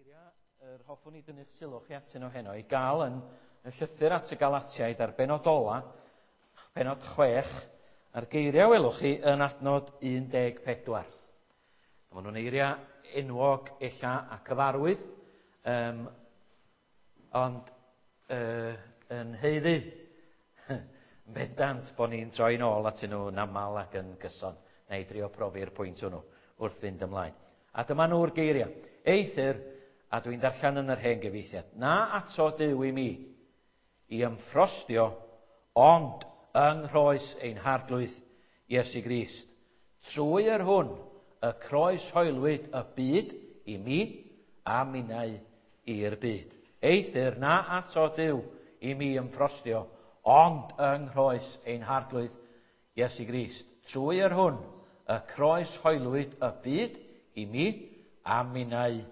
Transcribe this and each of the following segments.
Geiriau yr hoffwn i dynnu'ch sylw chi atyn nhw heno i gael yn y llythyr at y Galatiaid ar benod ola, penod 6, a'r geiriau welwch chi yn adnod 14. Maen nhw'n eiriau enwog ella a cyfarwydd, um, ond uh, yn heiddi yn bendant bod ni'n troi'n ôl atyn nhw'n aml ac yn gyson, neu drio profi'r pwynt hwnnw wrth fynd ymlaen. A dyma nhw'r geiriau. Eithr, a dwi'n darllen yn yr hen gyfieithiad, na ato Duw i mi i ymffrostio, ond yng nghroes ein harglwydd Iesu Grist, trwy yr hwn y croes hoelwyd y byd i mi a minnau i'r byd. Eithr, na ato Duw i mi ymffrostio, ond yng nghroes ein harglwydd Iesu Grist, trwy yr hwn y croes hoelwyd y byd i mi a minnau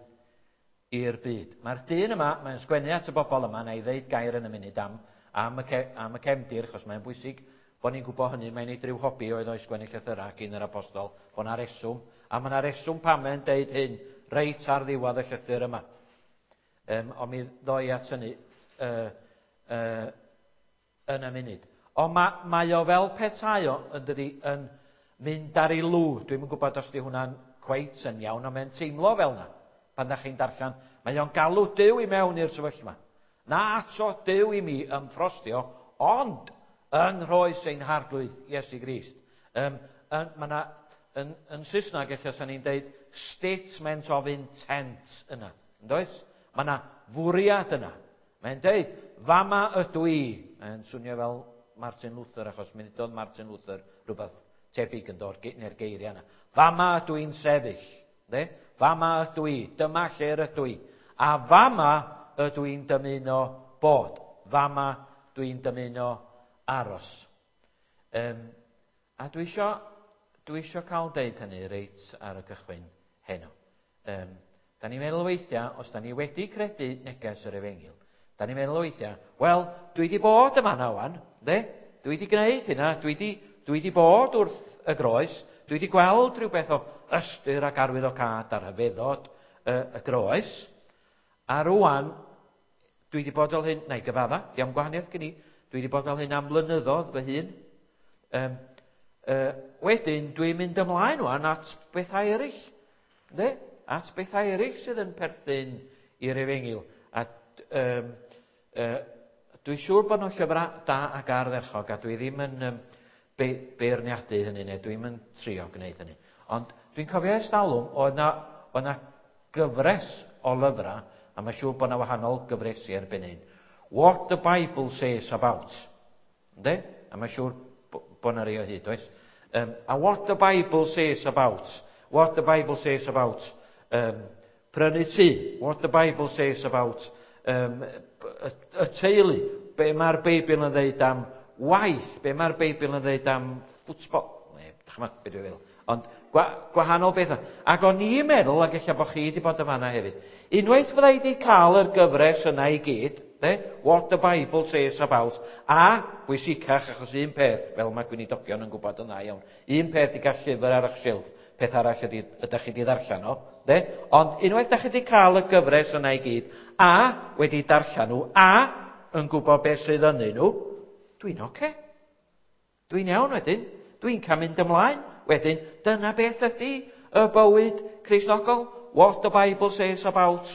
i'r byd. Mae'r dyn yma, mae'n sgwennu at y bobl yma, na i ddeud gair yn y munud am, am, y, ce, am y cefndir, achos mae'n bwysig bod ni'n gwybod hynny, mae'n ei dryw hobi oedd o'i sgwennu llythyrau gyn yr apostol, bod yna reswm, a mae yna reswm pam mae'n deud hyn reit ar ddiwedd y llythyr yma. Um, ond mi ddoi at hynny uh, uh, yn y munud. Ond mae, mae o fel petai o, yn dydi, yn mynd ar ei lw. Dwi'm yn gwybod os di hwnna'n cweit yn iawn, ond mae'n teimlo fel yna. Pan da chi'n darllen, mae o'n galw Duw i mewn i'r sefyllfa. Na ato Duw i mi ymffrostio, ond yng nghroes ein harglwydd Iesu Grist. Um, yn, mae na, yn, yn Saesneg, ella sa'n ni'n deud statement of intent yna. Yn does? Mae yna fwriad yna. Mae'n deud, fama ydw i. Mae'n swnio fel Martin Luther, achos mi ddudodd Martin Luther rhywbeth tebyg yn dod, neu'r geiriau yna. Fama ydw i'n sefyll. De? Fama ydw i. Dyma lle'r ydw i. A fama ydw i'n dymuno bod. Fama dw i'n dymuno aros. Um, a dwi isio, dwi isio cael deud hynny reit ar y cychwyn heno. Um, da ni'n meddwl weithiau, os da ni wedi credu neges yr efengyl, da ni'n meddwl weithiau, wel, dwi wedi bod yma na wan, de? Dwi wedi gwneud hynna, dwi wedi, dwi wedi bod wrth y groes, dwi wedi gweld rhywbeth o ystyr ac arwyddocâd a rhyfeddod y, y groes, a rwan, dwi wedi bod fel hyn, na i gyfadda, diolch gwahaniaeth gen i, dwi wedi bod fel hyn am flynyddoedd fy hun. Um, uh, wedyn, dwi'n mynd ymlaen wan at bethau eraill. Ynddi? At bethau eraill sydd yn perthyn i'r efengyl. A um, uh, dwi'n siŵr bod nhw'n llyfrau da ac ardderchog, a dwi ddim yn um, be beirniadu hynny, neu dwi'n yn trio gwneud hynny. Ond dwi'n cofio ers talwm, oedd na, oedd na gyfres o lyfrau, a mae'n siŵr bod na wahanol gyfresi erbyn hyn. What the Bible says about. Ynddi? A mae'n siŵr bod na rei o hyd, oes? Um, a what the Bible says about. What the Bible says about um, prynu tŷ. What the Bible says about um, y, y teulu. Be mae'r Beibl yn dweud am waith. Be mae'r Beibl yn dweud am ffwtbol. Neu, dychmyg, be dwi'n feddwl. Ond gwa, gwahanol bethau. Ac o'n i'n meddwl, ac ella bod chi wedi bod yn fanna hefyd, unwaith fydda i wedi cael yr gyfres yna i gyd, de, what the Bible says about, a bwysicach, achos un peth, fel mae gweinidogion yn gwybod yn dda iawn, un peth i gael llyfr ar eich silff, peth arall ydy, ydych chi wedi ddarllen o, de? Ond unwaith ydych chi wedi cael y gyfres yna i gyd, a wedi darllen nhw, a yn gwybod beth sydd ynddyn nhw, dwi'n oce. Okay. Dwi'n iawn wedyn. Dwi'n cael mynd ymlaen. Wedyn, dyna beth ydy y bywyd Cristnogol. What the Bible says about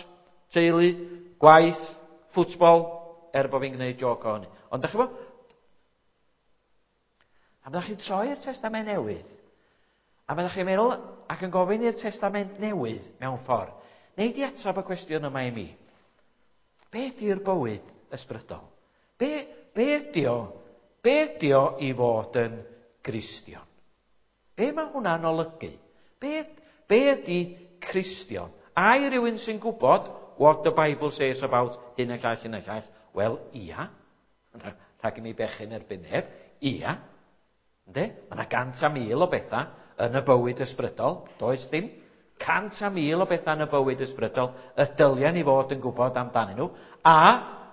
teulu, gwaith, ffwtbol, er bod fi'n gwneud joc o hynny. Ond da chi bo? A bydda'ch chi'n troi'r Testament Newydd, a bydda'ch chi'n meddwl ac yn gofyn i'r Testament Newydd mewn ffordd, neu di atab y cwestiwn yma i mi. Be ydy'r bywyd ysbrydol? Be, be ydy o? Be ydy o i fod yn Gristion? Be mae hwnna'n olygu? Be, be ydy Cristion? Ai rhywun sy'n gwybod what the Bible says about hyn a llall, hyn a llall? Wel, ia. Rhag i mi bechu'n erbyn neb. Ia. Ynddi? Mae yna 100,000 o bethau yn y bywyd ysbrydol. Does ddim. 100,000 o bethau yn y bywyd ysbrydol y dylia ni fod yn gwybod amdanyn nhw. A,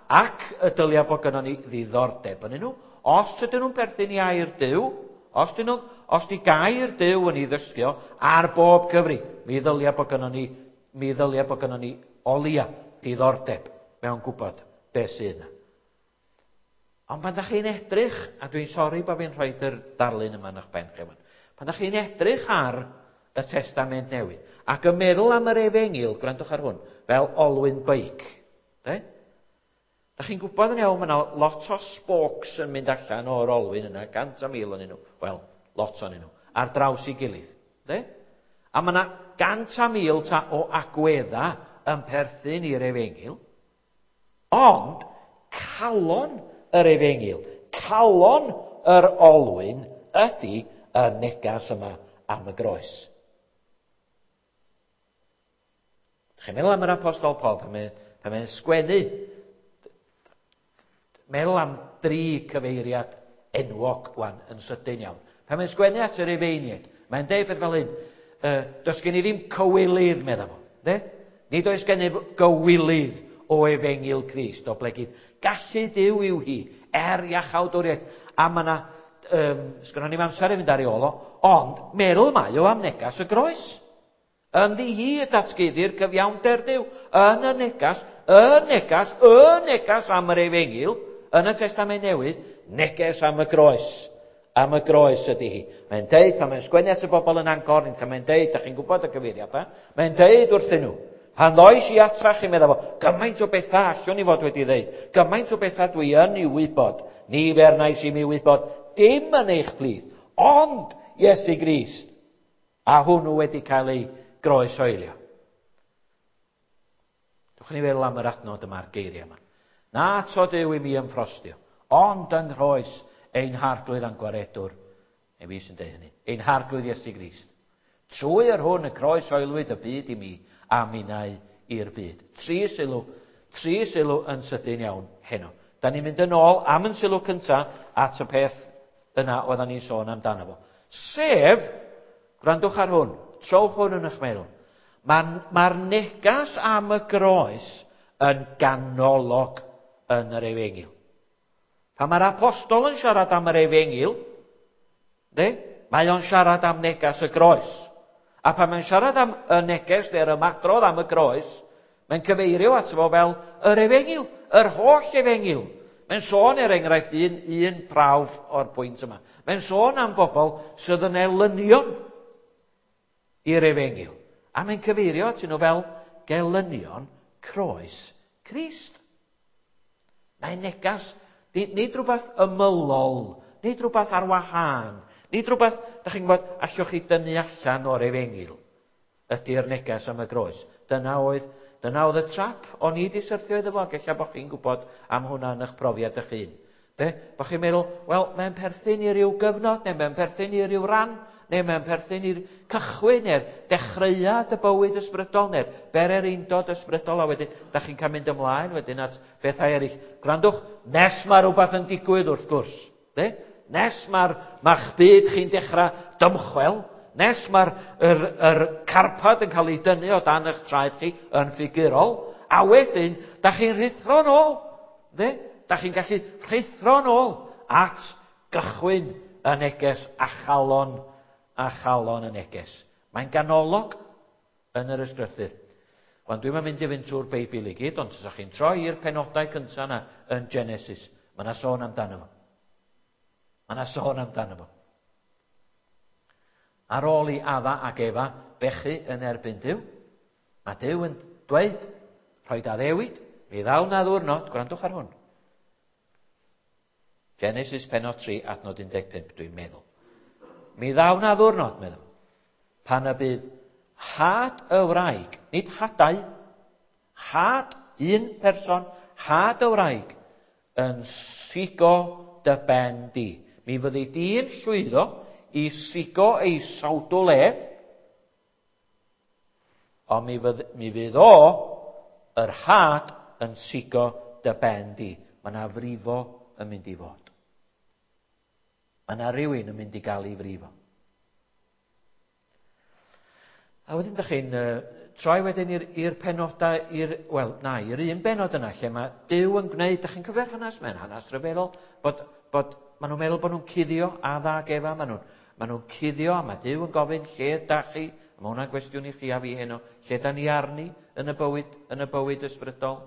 ac y dylia bod gynnon ni ddiddordeb yn nhw. Os ydyn nhw'n perthyn i air Duw, os dyn nhw, os di gair Duw yn ei ddysgu o, ar bob cyfri, mi ddylia bod gynnon ni Mi ddylia bod gynnon ni o leia diddordeb mewn gwybod beth sydd yna. Ond pan da chi'n edrych, a dwi'n sori bod fi'n rhoi yr darlun yma yn eich pen chi, pan da chi'n edrych ar y Testament Newydd, ac yn meddwl am yr efengyl, gwrandwch ar hwn, fel olwyn beic. De? Da chi'n gwybod yn iawn, mae yna lot o spokes yn mynd allan o'r olwyn yna, 100,000 o'n nhw. Wel, lot o'n nhw, ar draws ei gilydd. De? A mae yna 100,000 ta o agwedda yn perthyn i'r efengyl. Ond, calon yr efengyl, calon yr olwyn ydy y negas yma am y groes. Chi'n meddwl am yr apostol Paul pan mae'n pan mae sgwennu, meddwl am dri cyfeiriad enwog wan yn sydyn iawn. Pan mae'n sgwennu at yr efeiniaid, mae'n deud beth fel hyn, does gen i ddim cywilydd, meddwl fo. De? Nid oes gennyf gywilydd o efengyl Crist, o blegid gallu Duw yw hi, er iachawdwriaeth. A mae yna, sgynnon ni'm amser i fynd ar ei ôl o, ond meddwl mae o am negas y groes. Ynddi hi y datguddir cyfiawnder Duw, yn y negas, y negas, y negas am yr efengyl, yn y Testament Newydd, neges am y groes. Am y groes ydy hi. Mae'n deud, pan mae'n sgwennu at y bobl yn Ancorinth, a mae'n deud, da chi'n gwybod y cyfeiriadau, mae'n deud wrthyn nhw, pan ddois i atra chi, meddwl fo, gymaint o bethau allwn i fod wedi ddeud, gymaint o bethau dwi yn ei wybod, ni fernais i mi wybod, dim yn eich plith, ond Iesu Grist, a hwnnw wedi cael ei groeshoelio. Dwch ni feddwl am yr adnod yma'r geiriau yma. Na to Duw i mi ymffrostio, ond yng nghroes ein harglwydd a'n gwaredwr, neu fi sy'n deud hynny, ein harglwydd Iesu Grist. Trwy yr hwn y croeshoelwyd y byd i mi, a minnau i'r byd. Tri sylw, tri sylw yn sydyn iawn heno. Da ni'n mynd yn ôl am yn sylw cyntaf at y peth yna oedden ni'n sôn amdano fo. Sef, gwrandwch ar hwn, trowch hwn yn eich meddwl. Mae'r ma negas am y groes yn ganolog yn yr efengyl. Pan mae'r apostol yn siarad am yr efengyl, de, mae o'n siarad am negas y groes. A pan mae'n siarad am y neges neu'r ymadrodd am y groes, mae'n cyfeirio ato fo fel yr efengyl, yr holl efengyl. Mae'n sôn, er enghraifft, un, un prawf o'r pwynt yma. Mae'n sôn am bobl sydd yn elynion i'r efengyl. A mae'n cyfeirio atyn nhw fel gelynion croes Crist. Mae'n negas, nid rhywbeth ymylol, nid rhywbeth ar wahân, nid rhywbeth, da chi'n gwybod, allwch chi dynnu allan o'r efengyl, ydy'r neges am y groes. Dyna oedd, dyna oedd y trap o'n i wedi syrthio iddo fo, ac ella bod chi'n gwybod am hwnna yn eich profiad eich hun. De? Bod chi'n meddwl, wel, mae'n perthyn i ryw gyfnod, neu mae'n perthyn i ryw ran, neu mae'n perthyn i'r cychwyn, neu'r dechreuad y bywyd ysbrydol, neu'r bererindod ysbrydol, a wedyn, da chi'n cael mynd ymlaen wedyn at bethau eraill. Gwrandwch, nes mae rhywbeth yn digwydd wrth gwrs. De? Nes mae'r ma'ch byd chi'n dechrau dymchwel, nes mae'r yr, yr carpad yn cael ei dynnu o dan eich traed chi yn ffigurol, a wedyn, da chi'n rhuthro'n ôl. De? Da chi'n gallu rhuthro'n ôl at gychwyn y neges a chalon a chalon y neges. Mae'n ganolog yn yr ysgrythur. Wan, dwi'n mynd i fynd trwy'r Beibl i gyd, ond os ydych chi'n troi i'r penodau cyntaf yna yn Genesis, mae yna sôn amdano fo. Mae yna sôn amdano fo. Ar ôl i Adda ac Efa bechu yn erbyn Duw, mae Duw yn dweud, rhoi addewid, mi ddaw na ddwrnod, gwrandwch ar hwn. Genesis penod 3, adnod 15, dwi'n meddwl. Mi ddaw na ddwrnod, meddwl, pan y bydd had y wraig, nid hadau, had un person, had y wraig, yn sigo dy ben di. Mi fyddi di'n llwyddo i sigo ei sawdl ef, ond mi, fydd, mi fydd o, yr had, yn sigo dy ben di. Mae yna frifo yn mynd i fod. Mae yna rhywun yn mynd i gael ei frifo. A wedyn ydych chi'n uh, troi wedyn i'r penodau, i'r, wel, na, i'r un benod yna lle mae Duw yn gwneud, ydych chi'n cyfio'r hanes, mae'n hanes rhyfeddol, bod, bod maen nhw'n meddwl bod nhw'n cuddio a dda gefa, maen nhw'n maen nhw cuddio a mae Duw yn gofyn lle da chi Mae hwnna'n gwestiwn i chi a fi heno. Lle da ni arni yn y bywyd, yn y bywyd ysbrydol?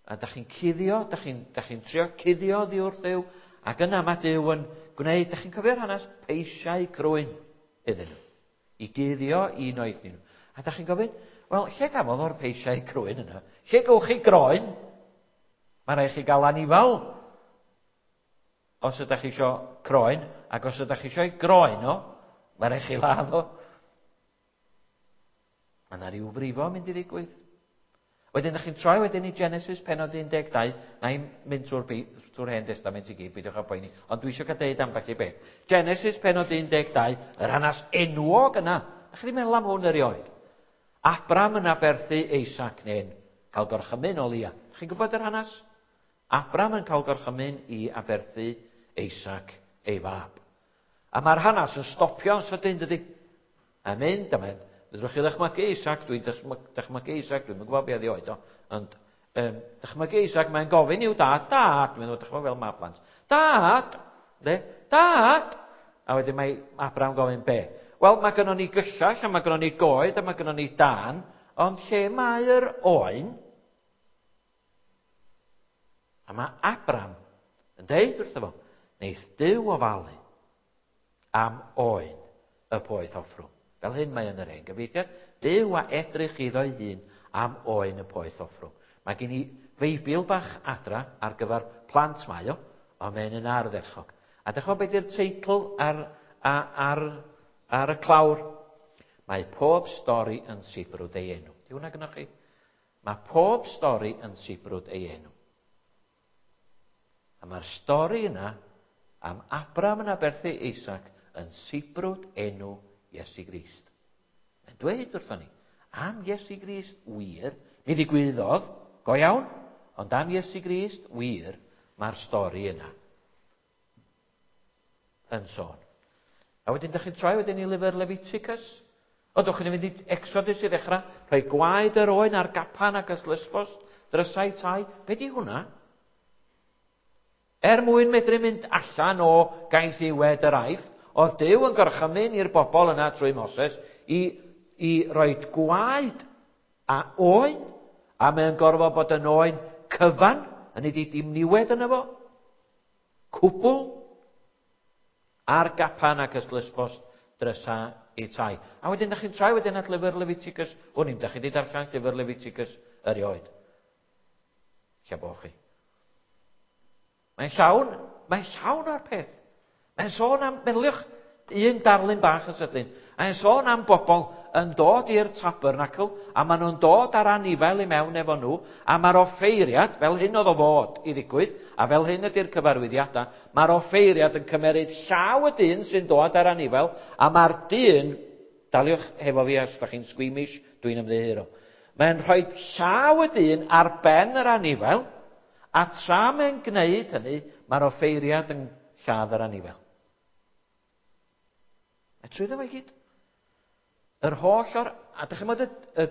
A da chi'n cuddio, da chi'n chi trio cuddio ddi wrth Dduw, ac yna mae Duw yn gwneud, da chi'n cofio'r hanes, peisiau crwyn iddyn nhw. I guddio un oed nhw. A da chi'n gofyn, wel, lle gafodd o'r peisiau crwyn yna? Lle gywch chi groen? Mae rhaid chi gael anifal os ydych chi eisiau croen, ac os ydych chi eisiau groen o, mae rhaid chi ladd o. Mae yna rhyw frifo yn mynd i ddigwydd. Wedyn, ydych chi'n troi wedyn i Genesis penod 12, na i'n mynd trwy'r trwy hen testament i gyd, beidiwch â poeni, ond dwi eisiau cael deud ambell i beth. Genesis penod 12, yr hanes enwog yna. Ydych chi'n meddwl am hwn erioed? Abram yn aberthu Isaac neu'n cael gorchymyn o lia. Ydych chi'n gwybod yr hanes? Abram yn cael gorchymyn i aberthu Isaac ei fab. A mae'r hanes yn stopio'n sydyn, dydy? A mynd, a mynd. Fedrwch chi ddychmygu Isaac, dwi'n dychmygu Isaac, dwi'n gwybod beth oed o, ond um, dychmygu Isaac, mae'n gofyn i'w dad, dad, dwi'n meddwl, dychmygu fel mae plant, dad, de, dad, a wedyn mae Abraham gofyn be? Wel, mae gynnon ni gyllell, a mae gynnon ni goed, a mae gynnon ni dan, ond lle mae'r oen? A mae Abram yn deud wrtho fo, neith Duw ofalu am oen y poeth offrwm. Fel hyn mae yn yr hen gyfeithiad, Duw a edrych iddo'i hun am oen y poeth offrwm. Mae gen i Feibl bach adra ar gyfer plant mae o, ond mae'n yn ardderchog. A dych chi'n beth yw'r teitl ar, ar, ar y clawr? Mae pob stori yn sibrwd ei enw. Di hwnna gynnwch chi? Mae pob stori yn sibrwd ei enw. A mae'r stori yna am Abram yn aberthu Isaac yn sibrwd enw Iesu Grist. Mae'n dweud wrthon ni, am Iesu Grist wir, mi ddigwyddodd, go iawn, ond am Iesu Grist wir, mae'r stori yna yn sôn. A wedyn, dych chi'n troi wedyn i lyfr Leviticus? O, dych chi'n mynd i Exodus i ddechrau, rhoi gwaed yr oen ar gapan ac ystlysbos, drysau tai. Be di hwnna? Er mwyn medru mynd allan o gaethiwed yr Aifft, oedd Duw yn gorchymyn i'r bobl yna trwy Moses i, i roi gwaed a oen, a mae'n gorfod bod yn oen cyfan, hynny di dim niwed yna fo, cwbl, ar gapan ac ystlysbost drysa i tai. A wedyn, da chi'n troi wedyn at lyfr Leviticus, wn i'm, da chi wedi darllen llyfr Leviticus erioed. Lle bo chi. Mae'n llawn, mae'n llawn o'r peth. Mae'n sôn am, meddyliwch, un darlun bach yn sydyn. Mae'n sôn am bobl yn dod i'r tabernacl, a maen nhw'n dod ar anifail i mewn efo nhw, a mae'r offeiriad, fel hyn oedd o fod i ddigwydd, a fel hyn ydy'r cyfarwyddiadau, mae'r offeiriad yn cymeryd llaw y dyn sy'n dod ar anifail, a mae'r dyn, daliwch hefo fi os da chi'n squeamish, dwi'n ymddiheuro, mae'n rhoi llaw y dyn ar ben yr anifail, a tra mae'n gwneud hynny, mae'r offeiriad yn lladd yr anifail. A trwyddo fo i gyd. Yr holl o'r... A dych chi'n meddwl y, y,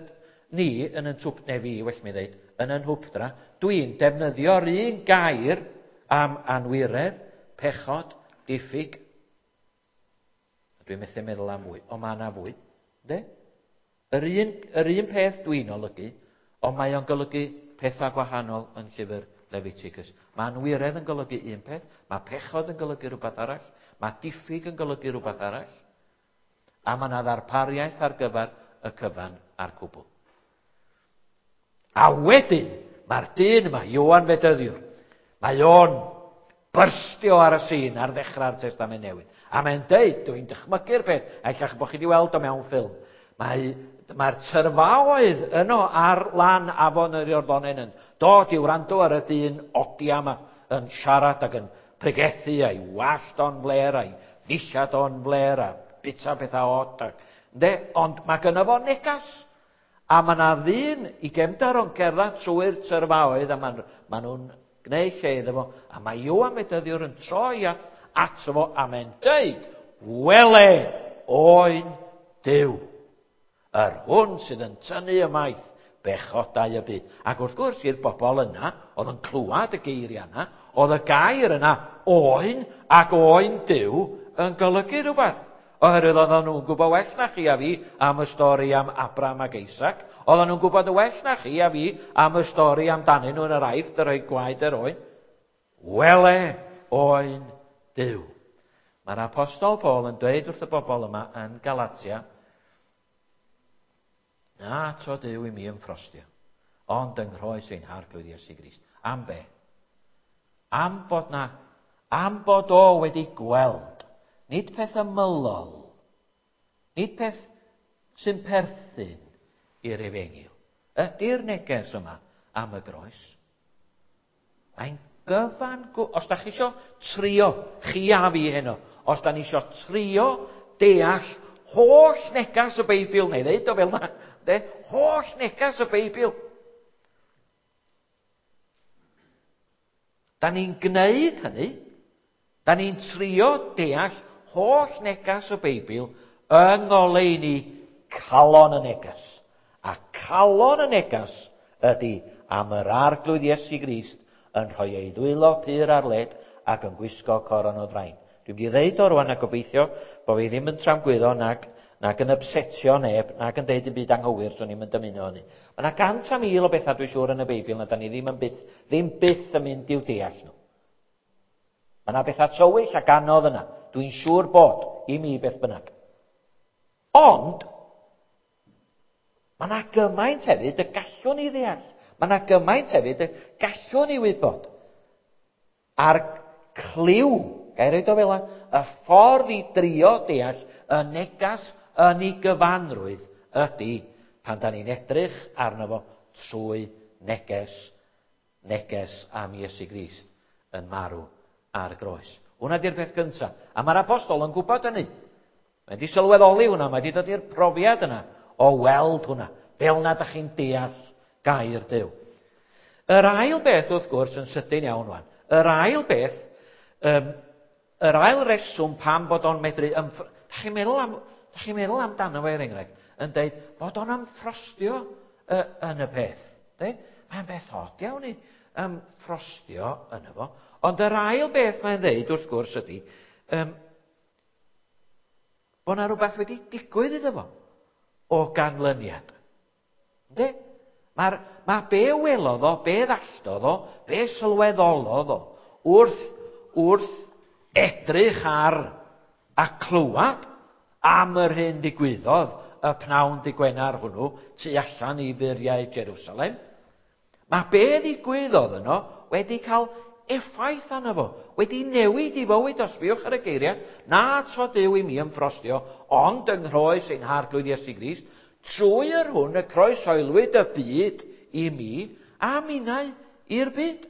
ni yn yn twp, neu fi, well mi ddeud, yn yn nhwpdra, dwi'n defnyddio'r un gair am anwiredd, pechod, diffyg. A dwi'n methu meddwl am fwy, ond mae yna fwy. De? Yr un, yr un peth dwi'n olygu, ond mae o'n golygu pethau gwahanol yn llyfr Leviticus. Mae anwiredd yn golygu un peth, mae pechod yn golygu rhywbeth arall, mae diffyg yn golygu rhywbeth arall, a mae yna ddarpariaeth ar gyfer y cyfan a'r cwbl. A wedyn, mae'r dyn yma, Ioan Fedyddiwr, mae o'n byrstio ar y sîn ar ddechrau'r Testament Newydd. A mae'n deud, dwi'n dychmygu'r peth, a ella bod chi wedi weld o mewn ffilm, mae, mae'r tyrfaoedd yno ar lan afon yr Iorddonen yn dod i wrando ar y dyn odia yma yn siarad ac yn pregethu a'i wallt o'n fler a'i ddillad o'n fler a bita pethau od. Ac, ynde? Ond mae gynno fo negas. A mae yna ddyn i gefndar o'n cerdded trwy'r tyrfaoedd a maen ma nhw'n gwneud lle iddo fo. A mae Ioan Fedyddiwr yn troi at, ato fo a mae'n deud, wele oen Duw, yr hwn sydd yn tynnu ymaith bechodau y byd. Ac wrth gwrs, i'r bobl yna, oedd yn clywed y geiriau yna, oedd y gair yna, oen ac oen Duw, yn golygu rhywbeth. Oherwydd oedden nhw'n gwybod well na chi a fi am y stori am Abraham ac Isaac. Oedden nhw'n gwybod y well na chi a fi am y stori amdanyn nhw yn yr Aifft yn rhoi gwaed yr oen. Wele oen Duw. Mae'r apostol Paul yn dweud wrth y bobl yma yn Galatia, Na to Duw i mi ymffrostio, ond yng nghroes ein Harglwydd Iesu Grist. Am be? Am bod na, am bod o wedi gweld, nid peth ymylol, nid peth sy'n perthyn i'r efengyl. Ydy'r neges yma am y groes? Mae'n gyfan gwbl. Os da chi isio trio, chi a fi heno, os da ni isio trio deall holl negas y Beibl, neu ddeud o fel na, de, holl negas y Beibl. Da ni'n gwneud hynny, da ni'n trio deall holl negas y Beibl yng ngoleuni calon y negas. A calon y negas ydy am yr Arglwydd Iesu Grist yn rhoi ei ddwylo pur ar led ac yn gwisgo coron o ddrain. Dwi'n mynd i ddeud o rwan a gobeithio bod fi ddim yn tramgwyddo nag, nag yn ypsetio neb, nag yn deud dim byd anghywir, swn i'm yn dymuno hynny. Mae yna 100,000 o bethau dwi'n siŵr yn y Beibl na da ni ddim yn byth, ddim byth yn mynd i'w deall nhw. Mae yna bethau tywyll ac anodd yna. Dwi'n siŵr bod, i mi beth bynnag. Ond, Mae yna gymaint hefyd y gallwn ni ddeall. Mae yna gymaint hefyd y gallwn ni wybod. A'r cliw, gair roed o fel y ffordd i drio deall y negas yn ei gyfanrwydd ydy pan da ni'n edrych arno fo trwy neges, neges am Iesu Grist yn marw ar y groes. Hwna di'r peth gyntaf. A mae'r apostol yn gwybod hynny. Mae wedi sylweddoli hwnna, mae wedi dod i'r profiad yna o weld hwnna, fel na da chi'n deall gair Duw. Yr ail beth, wrth gwrs, yn sydyn iawn wan, yr ail beth, um, yr ail reswm pam bod o'n medru... Ymff... Da chi'n meddwl, am, da chi'n meddwl amdano fo er enghraifft, yn dweud bod o'n ymffrostio uh, yn y peth. De? Mae'n beth od iawn i ymffrostio yn efo. Ond yr ail beth mae'n dweud, wrth gwrs, ydy, um, bod yna rhywbeth wedi digwydd iddo fo o ganlyniad. Ynddi? Mae'r, mae be welodd o, be ddalltodd o, be sylweddolodd o, wrth, wrth edrych ar a clywed am yr hyn ddigwyddodd y pnawn dy Gwener hwnnw tu allan i furiau Jerusalem. Mae be ddigwyddodd yno wedi cael effaith arno fo, wedi newid i fywyd, os sbiwch ar y geiriau, na tro Duw i mi ymffrostio, ond yng nghroes ein Harglwydd Iesu Grist, trwy yr hwn y croeshoelwyd y byd i mi, a minnau i'r byd.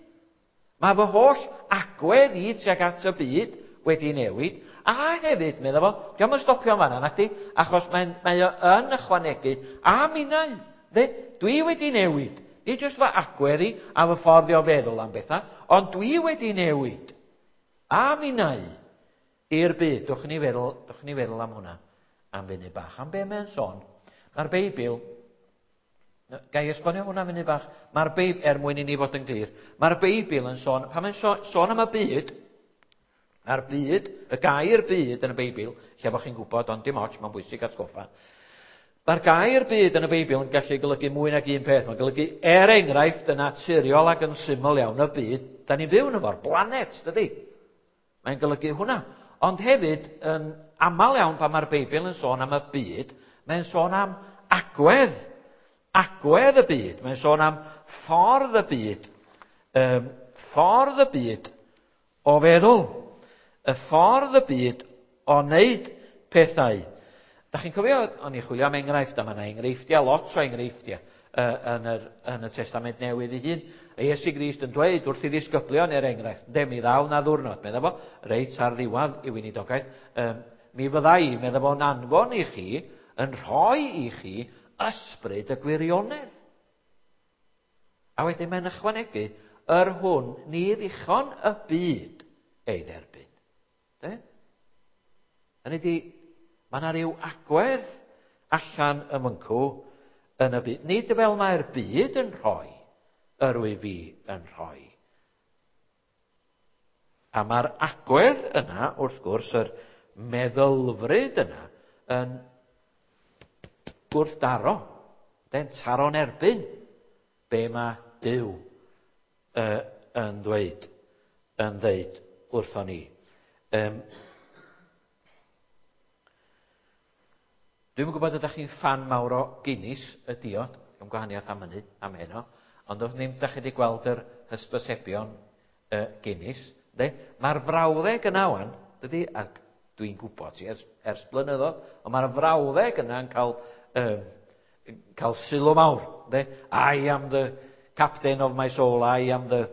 Mae fy holl agwedd i tuag at y byd wedi newid, a hefyd, medda fo, dio'm yn stopio yn fanna, nacdi, achos mae'n, mae o yn ychwanegu, a minnau, de, dwi wedi newid. Nid jyst fy agwedd i a fy ffordd i o feddwl am bethau, ond dwi wedi newid. A minnau i'r byd. Dwch ni feddwl, dwch ni feddwl am hwnna am funud bach. Am be mae'n sôn? Mae'r Beibl Ga i esbonio hwnna munud bach? Mae'r Beibl, er mwyn i ni fod yn glir, mae'r Beibl yn sôn, pan mae'n sôn am y byd, mae'r byd, y gair byd yn y Beibl, lle bod chi'n gwybod, ond dim ots, mae'n bwysig atgoffa. Mae'r gair byd yn y Beibl yn gallu golygu mwy nag un peth. Mae'n golygu, er enghraifft, yn naturiol ac yn syml iawn y byd, da ni'n byw yn efo'r blanet, dydy? Mae'n golygu hwnna. Ond hefyd, yn aml iawn pan mae'r Beibl yn sôn am y byd, mae'n sôn am agwedd. Agwedd y byd. Mae'n sôn am ffordd y byd. Um, ffordd y byd o feddwl. Y ffordd y byd o wneud pethau. Da chi'n cofio, o'n i chwilio am enghraifft, a mae yna enghreifftiau, lot o enghreifftiau yn, yr, yn y Testament Newydd ei hun. A Iesu Grist yn dweud wrth i ddisgyblion, er enghraifft, de, mi ddaw na ddwrnod, medda fo, reit ar ddiwedd i weinidogaeth, um, mi fydda i, medda fo'n anfon i chi, yn rhoi i chi ysbryd y gwirionedd. A wedyn mae'n ychwanegu, yr hwn ni ddichon y byd ei dderbyn. De? Hynny ydi, mae yna rhyw agwedd allan y myncw yn y byd. Nid fel mae'r byd yn rhoi, yr wyf fi yn rhoi. A mae'r agwedd yna, wrth gwrs, yr meddylfryd yna yn gwrthdaro, den taro'n erbyn be mae Duw yn dweud, yn ddeud wrthon ni. Dwi'm yn gwybod ydych chi'n ffan mawr o Guinness, y diod, yn gwahaniaeth am hynny, am heno, ond os ddim ydych chi wedi gweld yr hysbysebion Guinness, de? Mae'r frawddeg yna wan, dydy, ac dwi'n gwybod ti ers blynyddoedd, ond mae'r frawddeg yna yn cael sylw mawr, de? I am the captain of my soul, I am the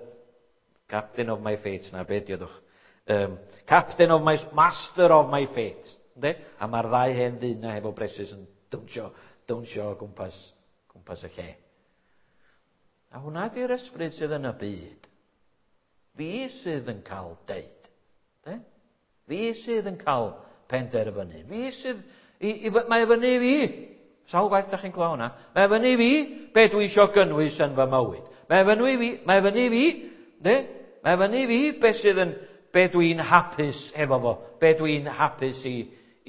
captain of my fate, na be diodwch. Captain of my, master of my fate. De? A mae'r ddau hen ddyn na hefo bresys yn dawnsio o gwmpas y lle. A hwnna di'r ysbryd sydd yn y byd. Fi sydd yn cael deud. De? Fi sydd yn cael penderfynu. Fi sydd... mae fyny i fi. Sawl gwaith da chi'n clywed hwnna? Mae fyny i fi be dwi isio gynnwys yn fy mywyd. Mae fyny i fi, mae fyny i fi, de? Mae fyny i fi be sydd yn, be dwi'n hapus efo fo, be dwi'n hapus i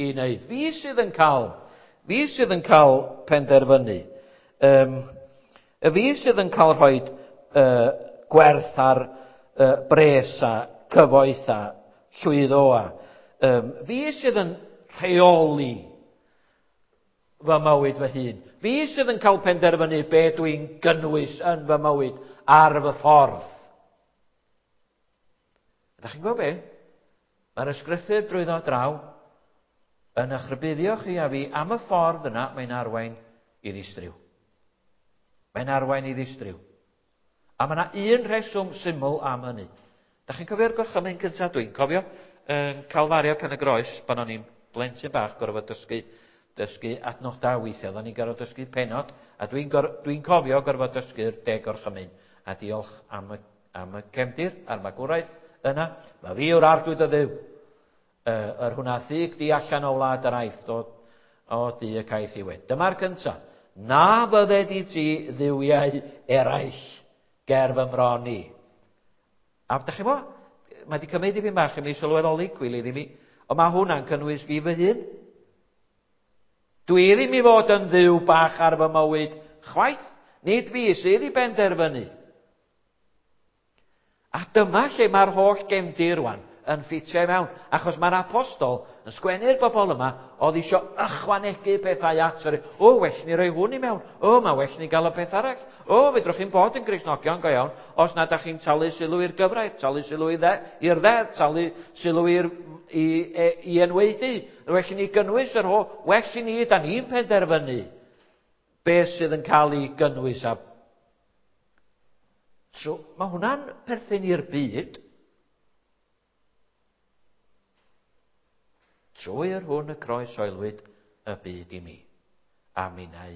wneud. Fi sydd yn cael, fi sydd yn cael penderfynu. Fi sydd yn cael rhoi gwerth ar bres a cyfoeth a llwyddo a fi sydd yn rheoli fy mywyd fy hun. Fi sydd yn cael penderfynu be dwi'n gynnwys yn fy mywyd ar fy ffordd. Ydych chi'n gwybod be? Mae'r ysgrythur drwyddo draw yn eich rhybuddio chi a fi am y ffordd yna mae'n arwain i ddistryw. Mae'n arwain i ddistryw. A mae yna un rheswm syml am hynny. Dach chi'n cofio'r gorchymyn cyntaf? Dwi'n cofio yn Calfaria Pen y Groes, pan o'n i'n blentyn bach, gorfod dysgu adnodau weithiau. Oedden ni'n gorfod dysgu penod, a dwi'n cofio gorfod dysgu'r 10 gorchymyn. A diolch am y cefndir a'r magwraeth yna. Mae fi yw'r arglwydd o Dduw. Yr hwnna thug di allan o wlad yr Aifft o du y caeth i wed. Dyma'r cyntaf. Na fydded i ti dduwiau eraill ger fy mron i. A dach chi'n gwybod, mae wedi cymryd dipyn bach i mi sylweddoli, cwilydd i mi, ond mae hwnna'n cynnwys fi fy hun. Dwi ddim i fod yn dduw bach ar fy mywyd chwaith, nid fi sydd i benderfynu. A dyma lle mae'r holl gefndir rwan yn ffitio i mewn, achos mae'r apostol yn sgwennu'r bobl yma oedd isio ychwanegu pethau at yr, o, well ni roi hwn i mewn, o, mae well ni gael y peth arall, o, fedrwch chi'n bod yn Gristnogion go iawn, os nad ydych chi'n talu sylw i'r gyfraith, talu sylw i'r ddeddf, talu sylw i enwaedu, well ni gynnwys yr ho, well ni, da ni'n penderfynu beth sydd yn cael ei gynnwys a so, mae hwnna'n perthyn i'r byd. Trwy yr hwn y croesoelwyd y byd i mi, a minnau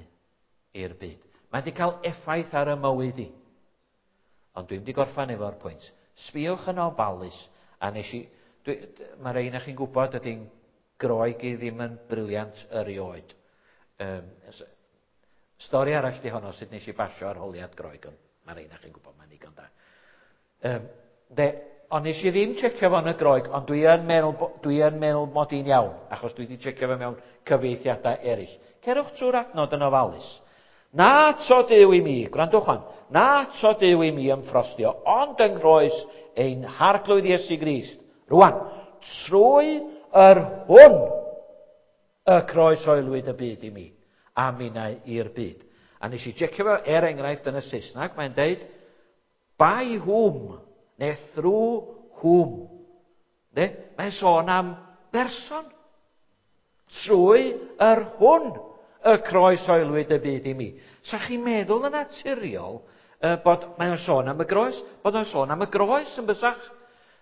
i'r byd. Mae wedi cael effaith ar y mywyd i. Ond dwi'n wedi gorffan efo'r pwynt. Sbïwch yn ofalus, a nes i... Mae rhain chi'n gwybod ydy'n Groeg i ddim yn briliant erioed. Stori arall di honno sut nes i basio arholiad Groeg, ond mae rhain chi'n gwybod, mae'n ddigon da. Ond nes i ddim checio fo yn y Groeg, ond dwi yn meddwl mod i'n iawn, achos dwi wedi checio fo mewn cyfieithiadau eraill. Cerwch trwy'r adnod yn ofalus. Na to Duw i mi, gwrandwch wan, na to Duw i mi ymffrostio, ond yng nghroes ein Harglwydd Iesu Grist. Rwan, trwy yr hwn y croesoelwyd y byd i mi, a minnau i'r byd. A nes i checio fo, er enghraifft yn y Saesneg, mae'n deud, by whom, neu through whom. De? Mae'n sôn am berson. Trwy yr hwn y croesoelwyd y byd i mi. Sa chi'n meddwl yn naturiol bod mae'n sôn am y groes, bod o'n sôn am y groes yn bysach.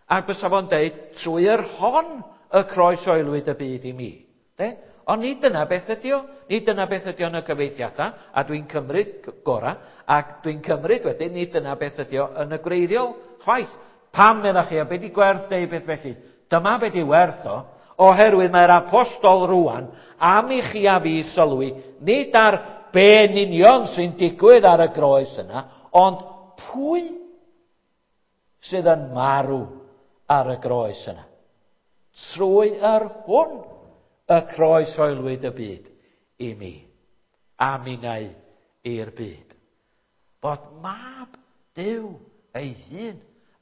A bysa fo'n deud, trwy yr hon y croesoelwyd y byd i mi. De? Ond nid dyna beth ydi o. Nid dyna beth ydi o yn y cyfieithiadau, a dwi'n cymryd gorau, ac dwi'n cymryd wedyn, nid dyna beth ydi o yn y gwreiddiol chwaith. Pam meddach chi, a be di gwerth deud beth felly? Dyma be di werth o, oherwydd mae'r apostol rwan am i chi a fi sylwi, nid ar be'n union sy'n digwydd ar y groes yna, ond pwy sydd yn marw ar y groes yna? Trwy yr hwn y croeshoelwyd y byd i mi, a minnau i'r byd. Bod mab Duw ei hun,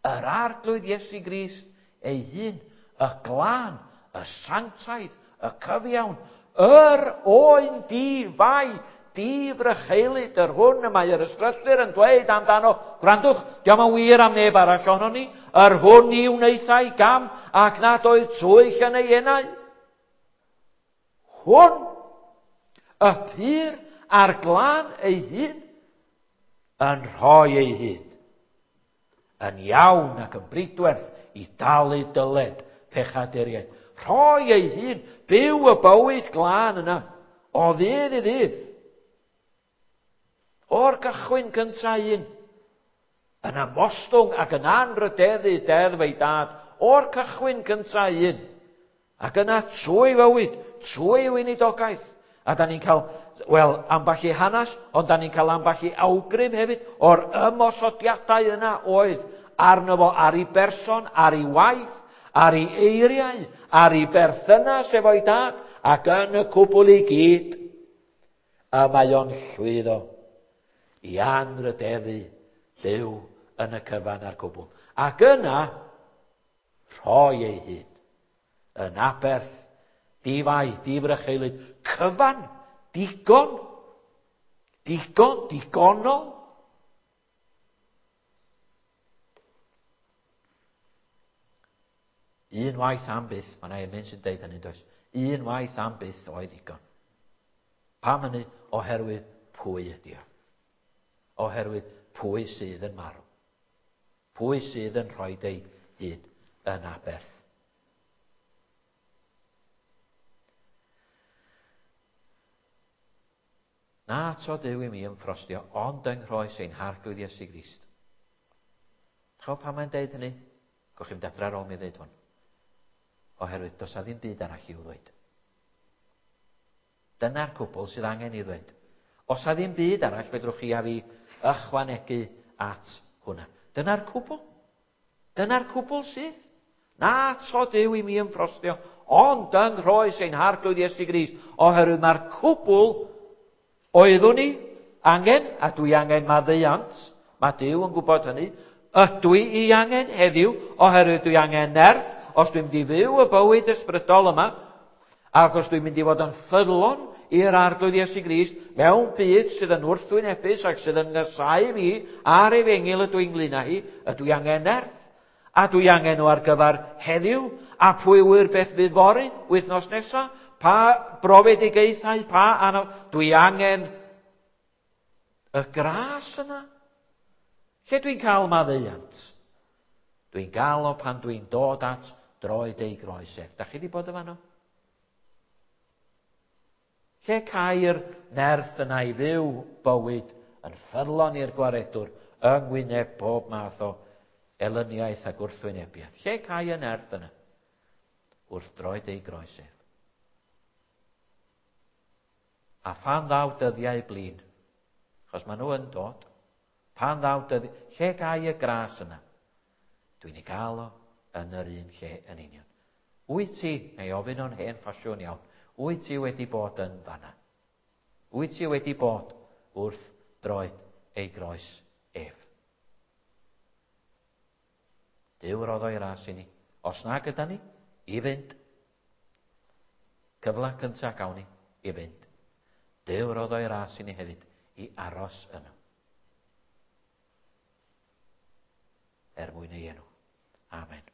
yr Arglwydd Iesu Grist ei hun, y glân, y sanctaidd, y cyfiawn, yr oen di-fai, di-frycheulyd, yr hwn y mae yr ysgrythur yn dweud amdano, gwrandwch, diolch yn wir am neb arall ohonon ni, yr hwn ni wnaethai gam ac nad oedd twyll yn ei enau. Hwn, y pur a'r glân ei hun, yn rhoi ei hun, yn iawn ac yn bridwerth i dalu dyled pechaduriaid. Rhoi ei hun, byw y bywyd glân yna, o ddydd i ddydd. O'r cychwyn cyntaf un, yn ymostwng ac yn anrhydeddu deddf ei dad, o'r cychwyn cyntaf un, ac yna trwy fywyd, trwy weinidogaeth, a da ni'n cael, wel, ambell i hanes, ond da ni'n cael ambell i awgrym hefyd o'r ymosodiadau yna oedd arno fo ar ei berson, ar ei waith, ar ei eiriau, ar ei berthynas efo'i dad, ac yn y cwbl i gyd, a mae o'n llwyddo i anrhydeddu Duw yn y cyfan a'r cwbl. Ac yna, rhoi ei hun yn aberth, di-fai, di-frycheulyd, cyfan, digon, digon, digonol. Un waith am byth, mae yna emyn sy'n deud hynny, does? Un waith am byth oedd digon. Pam hynny? Oherwydd pwy ydi o. Oherwydd pwy sydd yn marw. Pwy sydd yn rhoi ei hun yn aberth. Na to Duw i mi ymffrostio, ond yng nghroes ein Harglwydd Iesu Grist. Chawb pam mae'n deud hynny? Gwch chi'n adra ar ôl mi ddeud hwn. Oherwydd does a ddim byd arall i'w ddweud. Dyna'r cwbl sydd angen i ddweud. Os a ddim byd arall, fedrwch chi a fi ychwanegu at hwnna. Dyna'r cwbl. Dyna'r cwbl sydd. Na to Duw i mi ymffrostio, ond yng nghroes ein Harglwydd Iesu Grist, oherwydd mae'r cwbl oeddwn i angen, a dwi angen maddeuant, mae Duw yn gwybod hynny, ydw i angen heddiw, oherwydd dwi angen nerth, os dwi'n mynd i fyw y bywyd ysbrydol yma, ac os dwi'n mynd i fod yn ffyddlon i'r Arglwydd Iesu Grist mewn byd sydd yn wrthwynebus ac sydd yn ngysau fi a'r efengyl ydw i'n ynglyn â hi, ydw i angen nerth. A dwi angen nhw ar gyfer heddiw, a pwy ŵyr beth fydd fory, wythnos nesa, pa brofedigaethau, pa anodd. Dwi angen y gras yna. Lle dwi'n cael maddeuant? Dwi'n gael o pan dwi'n dod at droed ei groes ef. Da chi wedi bod yn fanno? Lle cai'r nerth yna i fyw bywyd yn ffyddlon i'r gwaredwr yng ngwyneb bob math o elyniaeth a gwrthwynebiad? Lle cai y nerth yna? Wrth droed ei groes ef. A phan ddaw dyddiau blin, achos maen nhw yn dod, pan ddaw dyddiau, lle gai y gras yna? Dwi'n ei gael o yn yr un lle yn union. Wyt ti, neu ofyn o'n hen ffasiwn iawn, wyt ti wedi bod yn fanna? Wyt ti wedi bod wrth droed ei groes ef? Duw roddo ei ras i ni. Os na gyda ni, i fynd. Cyfle cyntaf gawn ni, i fynd. Duw roddo ei ras i ni hefyd, i aros yno. Er mwyn ei enw. Amen.